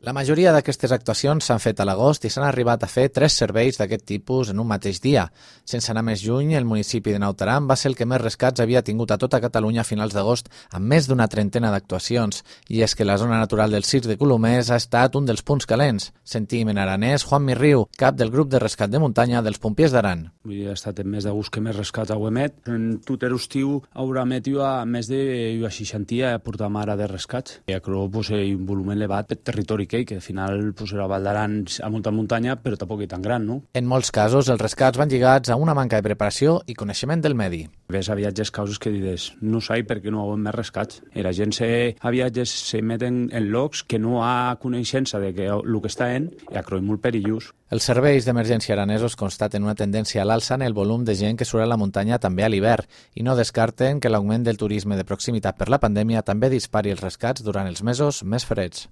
La majoria d'aquestes actuacions s'han fet a l'agost i s'han arribat a fer 3 serveis d'aquest tipus en un mateix dia. Sense anar més lluny, el municipi de Naut Aran va ser el que més rescats havia tingut a tota Catalunya a finals d'agost, amb més d'una trentena d'actuacions. I és que la zona natural del Circ de Colomers ha estat un dels punts calents. Sentim en aranès Juan Mirriu, cap del grup de rescat de muntanya dels Pompiers d'Aran. Ha estat el mes d'agost que més rescats heu emet. En tot l'estiu haurà emet a més de 60 portam ara de rescats. I acrò un volum elevat per territori que al final era Val d'Aran a molta muntanya, però tampoc és tan gran, no? En molts casos, els rescats van lligats a una manca de preparació i coneixement del medi. Ves a viatges causes que dius, no sé per què no hi ha més rescats. La gent a viatges se meten en llocs que no ha coneixença de que el que està en i acrò és molt perillós. Els serveis d'emergència aranesos constaten una tendència a l'alça en el volum de gent que surt a la muntanya també a l'hivern i no descarten que l'augment del turisme de proximitat per la pandèmia també dispari els rescats durant els mesos més freds.